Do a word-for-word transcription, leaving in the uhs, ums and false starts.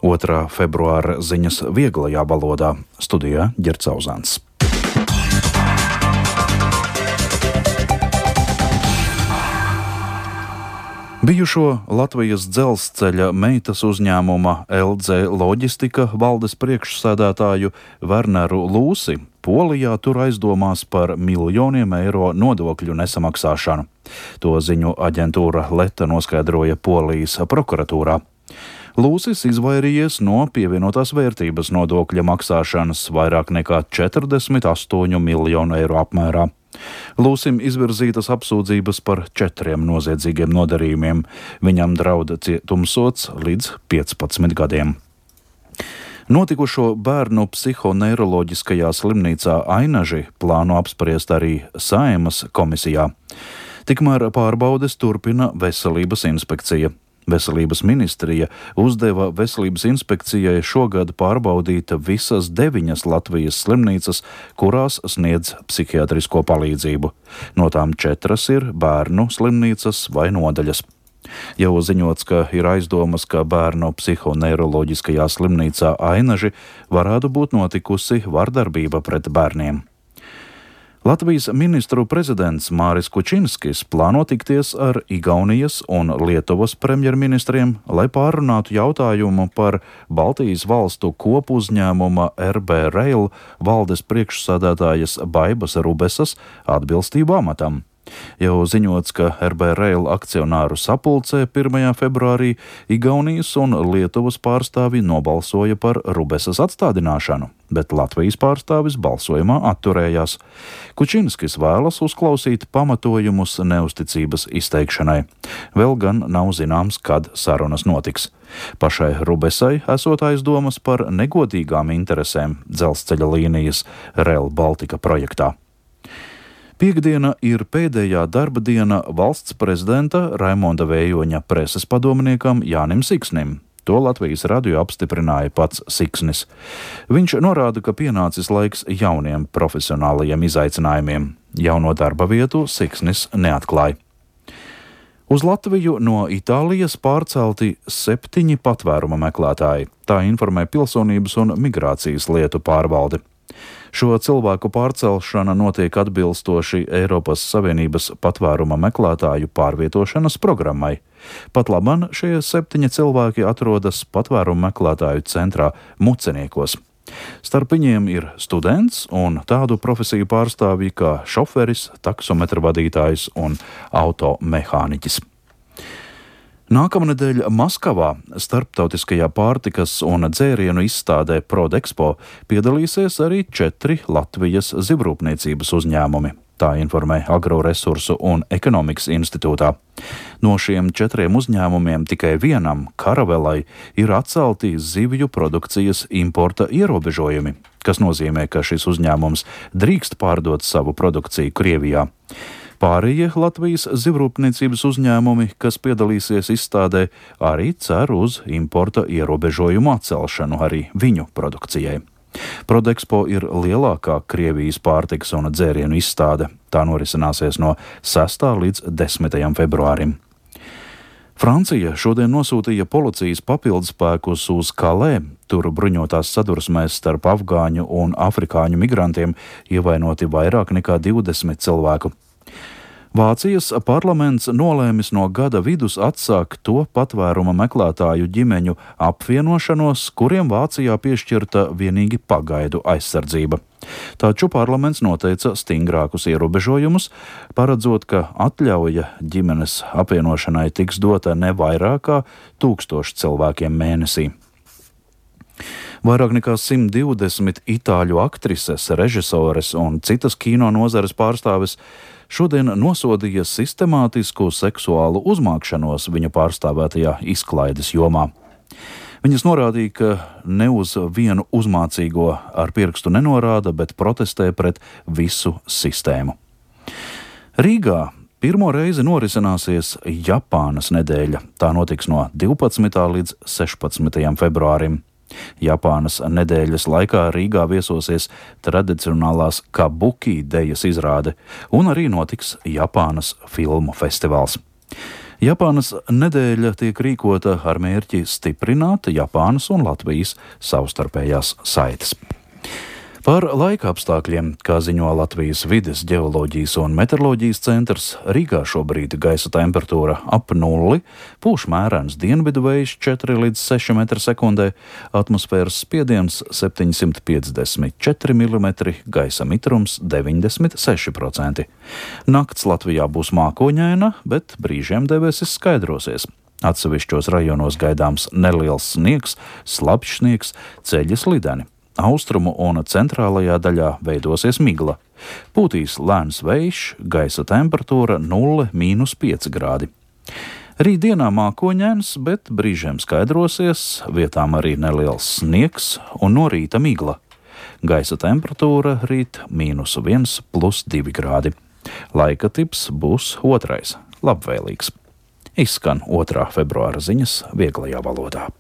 otrā februāra ziņas vieglajā valodā. Studijā Ģerts Auzāns. Bijušo Latvijas dzelzceļa meitas uzņēmuma L Z Loģistika valdes priekšsēdētāju Werneru Lūsi Polijā tur aizdomās par miljoniem eiro nodokļu nesamaksāšanu. To ziņu aģentūra Leta noskaidroja Polijas prokuratūrā. Lūsis izvairījies no pievienotās vērtības nodokļa maksāšanas vairāk nekā četrdesmit astoņu miljonu eiro apmērā. Lūsim izvirzītas apsūdzības par četriem noziedzīgiem nodarījumiem. Viņam drauda cietumsods līdz piecpadsmit gadiem. Notikušo bērnu psihoneiroloģiskajā slimnīcā Ainaži plāno apspriest arī Saeimas komisijā. Tikmēr pārbaudes turpina Veselības inspekcija. Veselības ministrija uzdeva Veselības inspekcijai šogad pārbaudīt visas deviņas Latvijas slimnīcas, kurās sniedz psihiatrisko palīdzību. No tām četras ir bērnu slimnīcas vai nodaļas. Jau ziņots, ka ir aizdomas, ka bērnu psihoneiroloģiskajā slimnīcā Ainaži varētu būt notikusi vardarbība pret bērniem. Latvijas ministru prezidents Māris Kučinskis plāno tikties ar Igaunijas un Lietuvas premjerministriem, lai pārunātu jautājumu par Baltijas valstu kopuzņēmuma R B Rail valdes priekšsādātājas Baibas Rubesas atbilstību amatam. Jau ziņots, ka R B Rail akcionāru sapulcē pirmajā februārī Igaunijas un Lietuvas pārstāvi nobalsoja par Rubesas atstādināšanu, bet Latvijas pārstāvis balsojumā atturējās. Kučinskis vēlas uzklausīt pamatojumus neusticības izteikšanai. Vēl gan nav zināms, kad sarunas notiks. Pašai Rubesai esot aizdomas par negodīgām interesēm dzelzceļa līnijas Rail Baltica projektā. Piektdiena ir pēdējā darba diena valsts prezidenta Raimonda Vējoņa preses padomniekam Jānim Siksnim. To Latvijas radio apstiprināja pats Siksnis. Viņš norāda, ka pienācis laiks jauniem profesionālajiem izaicinājumiem. Jauno darba vietu Siksnis neatklāja. Uz Latviju no Itālijas pārcelti septiņi patvēruma meklētāji. Tā informē Pilsonības un migrācijas lietu pārvalde. Šo cilvēku pārcelšana notiek atbilstoši Eiropas Savienības patvēruma meklētāju pārvietošanas programmai. Pat labam šie septiņi cilvēki atrodas patvēruma meklētāju centrā Muceniekos. Starp viņiem ir students un tādu profesiju pārstāvji kā šoferis, taksometra vadītājs un automehāniķis. Nākamnedēļ Maskavā starptautiskajā pārtikas un dzērienu izstādē Prodexpo piedalīsies arī četri Latvijas zivrūpniecības uzņēmumi. Tā informē Agroresursu un ekonomikas institūtā. No šiem četriem uzņēmumiem tikai vienam, Karavelai, ir atcelti zivju produkcijas importa ierobežojumi, kas nozīmē, ka šis uzņēmums drīkst pārdot savu produkciju Krievijā. Pārējie Latvijas zivrūpniecības uzņēmumi, kas piedalīsies izstādē, arī cer uz importa ierobežojumu atcelšanu arī viņu produkcijai. Prodexpo ir lielākā Krievijas pārtikas un dzērienu izstāde. Tā norisināsies no sestā līdz desmitajam februārim. Francija šodien nosūtīja policijas papildspēkus uz Kalē. Tur bruņotās sadursmēs starp afgāņu un afrikāņu migrantiem ievainoti vairāk nekā divdesmit cilvēku. Vācijas parlaments nolēmis no gada vidus atsākt to patvēruma meklētāju ģimeņu apvienošanos, kuriem Vācijā piešķirta vienīgi pagaidu aizsardzība. Taču parlaments noteica stingrākus ierobežojumus, paredzot, ka atļauja ģimenes apvienošanai tiks dota ne vairāk kā tūkstoši cilvēkiem mēnesī. Vairāk nekā simt divdesmit itāļu aktrises, režisores un citas kino nozares pārstāves šodien nosodīja sistemātisku seksuālu uzmākšanos viņu pārstāvētajā izklaides jomā. Viņas norādīja, ka ne uz vienu uzmācīgo ar pirkstu nenorāda, bet protestē pret visu sistēmu. Rīgā pirmo reizi norisināsies Japānas nedēļa. Tā notiks no divpadsmitā līdz sešpadsmitajam februārim. Japānas nedēļas laikā Rīgā viesosies tradicionālās kabuki dejas izrāde un arī notiks Japānas filmu festivāls. Japānas nedēļa tiek rīkota ar mērķi stiprināt Japānas un Latvijas savstarpējās saites. Par laika apstākļiem, kā ziņo Latvijas vides ģeoloģijas un meteoroloģijas centrs, Rīgā šobrīd gaisa temperatūra ap nulli, pūš mērens dienvidu vējš četri līdz seši metri sekundē, atmosfēras spiediens septiņsimt piecdesmit četri milimetri, gaisa mitrums deviņdesmit seši procenti. Nakts Latvijā būs mākoņaina, bet brīžiem debesis skaidrosies. Atsevišķos rajonos gaidāms neliels sniegs, slapjš sniegs, ceļi slideni. Austrumu un centrālajā daļā veidosies migla. Pūtīs lēns vējš, gaisa temperatūra nulle mīnus pieci grādi. Rītdienā mākoņains, bet brīžiem skaidrosies, vietām arī neliels sniegs un no rīta migla. Gaisa temperatūra rīt mīnus viens plus divi grādi. Laika tips būs otrais, labvēlīgs. Izskan otrā februāra ziņas vieglajā valodā.